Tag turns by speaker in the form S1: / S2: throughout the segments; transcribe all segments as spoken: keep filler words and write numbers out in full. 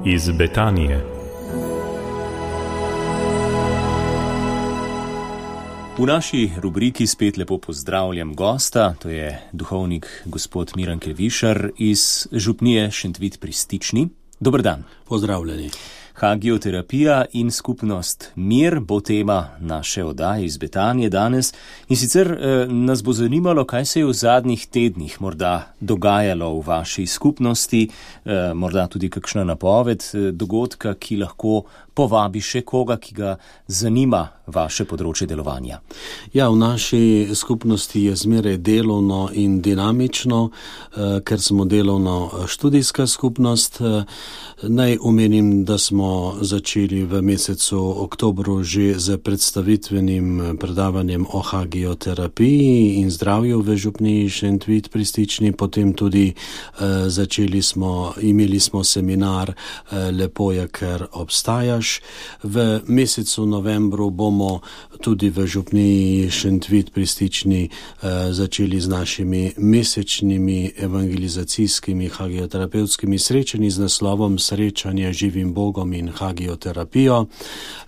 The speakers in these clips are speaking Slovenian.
S1: Iz Betanije.
S2: V naši rubriki spet lepo pozdravljam gosta, to je duhovnik gospod Miran Kelvišar iz župnije Šentvid pri Stični. Dober dan.
S3: Pozdravljeni.
S2: Hagioterapija in skupnost Mir bo tema naše oddaje iz Betanije danes. In sicer eh, nas bo zanimalo, kaj se je v zadnjih tednih morda dogajalo v vaši skupnosti, eh, morda tudi kakšna napoved eh, dogodka, ki lahko povabi še koga, ki ga zanima vaše področje delovanja.
S3: Ja, v naši skupnosti je zmeraj delovno in dinamično, eh, ker smo delovno študijska skupnost. Eh, naj omenim, da smo začeli v mesecu oktobru že z predstavitvenim predavanjem o hagioterapiji in zdravju v župniji Šentvid pri Stični, potem tudi eh, začeli smo, imeli smo seminar eh, Lepo je, ker obstajaš. V mesecu novembru bomo tudi v župniji Šentvid pri Stični eh, začeli z našimi mesečnimi evangelizacijskimi hagioterapevtskimi srečanji z naslovom Srečanje živim Bogom in hagioterapijo.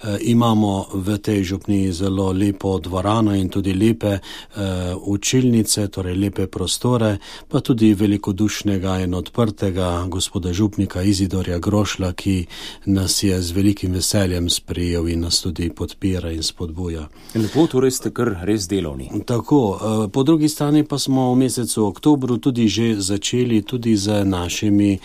S3: E, imamo v tej župniji zelo lepo dvorano in tudi lepe e, učilnice, torej lepe prostore, pa tudi velikodušnega in odprtega gospoda župnika Izidorja Grošla, ki nas je z velikim veseljem sprejel in nas tudi podpira in spodbuja.
S2: Lepo, torej ste kar res delovni.
S3: Tako, e, po drugi strani pa smo v mesecu oktobru tudi že začeli tudi z našimi e,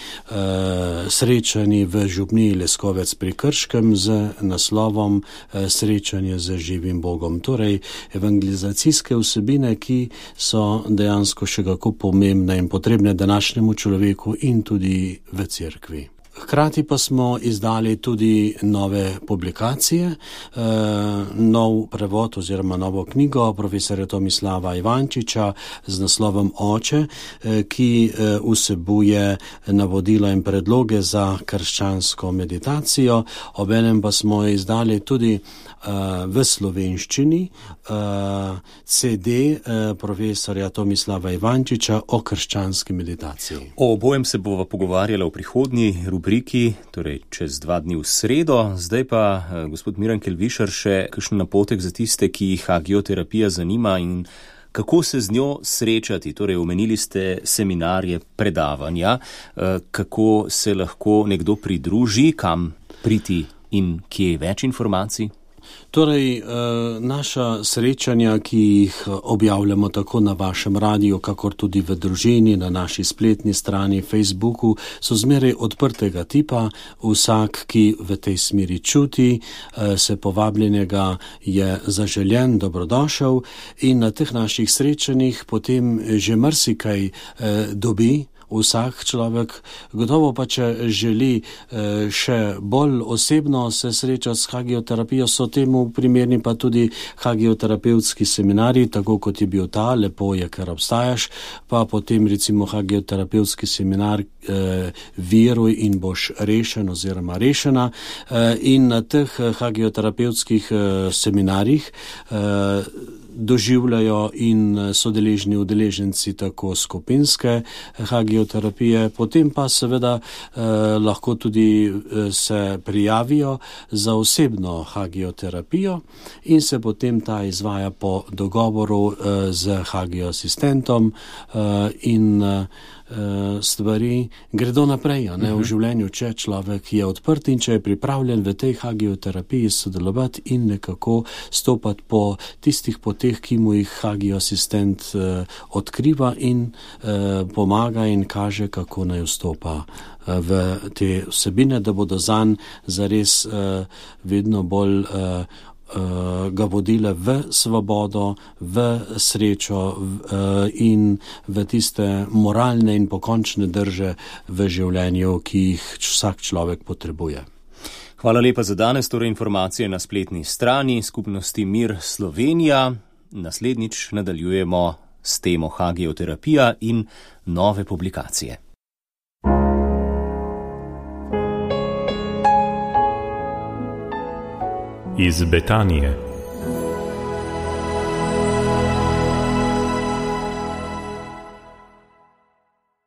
S3: srečanji v župniji Leskovec pri Krškem z naslovom Srečanje z živim Bogom. Torej, evangelizacijske vsebine, ki so dejansko še kako pomembne in potrebne današnjemu človeku in tudi v cerkvi. Hkrati pa smo izdali tudi nove publikacije, eh, nov prevod oziroma novo knjigo profesorja Tomislava Ivančiča z naslovom Oče, eh, ki eh, vsebuje navodila in predloge za krščansko meditacijo. Obenem pa smo izdali tudi eh, v slovenščini eh, C D eh, profesorja Tomislava Ivančiča o krščanski meditaciji.
S2: O obojem se bova pogovarjala v prihodnji rubriki, torej čez dva dni v sredo. Zdaj pa, gospod Miran Kelvišar, še kakšen napotek za tiste, ki jih hagioterapija zanima in kako se z njo srečati. Torej, omenili ste seminarje, predavanja, kako se lahko nekdo pridruži, kam priti in kje več informacij?
S3: Torej, naša srečanja, ki jih objavljamo tako na vašem radiju, kakor tudi v družini, na naši spletni strani, Facebooku, so zmeraj odprtega tipa. Vsak, ki v tej smeri čuti, se povabljenega je zaželjen, dobrodošel in na teh naših srečanjih potem že marsikaj dobi. Vsak človek, gotovo pa če želi še bolj osebno se srečati s hagioterapijo, so temu primerni pa tudi hagioterapevtski seminarji, tako kot je bil ta Lepo je, ker obstajaš, pa potem recimo hagioterapevtski seminar eh, Veruj in boš rešen oziroma rešena. Eh, in na teh hagioterapevtskih eh, seminarjih eh, doživljajo in so deležni udeleženci tako skupinske hagioterapije, potem pa seveda eh, lahko tudi eh, se prijavijo za osebno hagioterapijo in se potem ta izvaja po dogovoru eh, z hagiosistentom eh, in eh, stvari gredo naprej, ne, v življenju, če človek je odprt in če je pripravljen v tej hagioterapiji sodelovati in nekako stopati po tistih poteh, ki mu jih hagiosistent eh, odkriva in eh, pomaga in kaže, kako naj vstopa eh, v te vsebine, da bodo zanj zares eh, vedno bolj eh, ga vodile v svobodo, v srečo in v tiste moralne in pokončne drže v življenju, ki jih vsak človek potrebuje.
S2: Hvala lepa za danes, torej informacije na spletni strani skupnosti Mir Slovenija. Naslednjič nadaljujemo s temo hagioterapija in nove publikacije.
S1: Iz Betanije.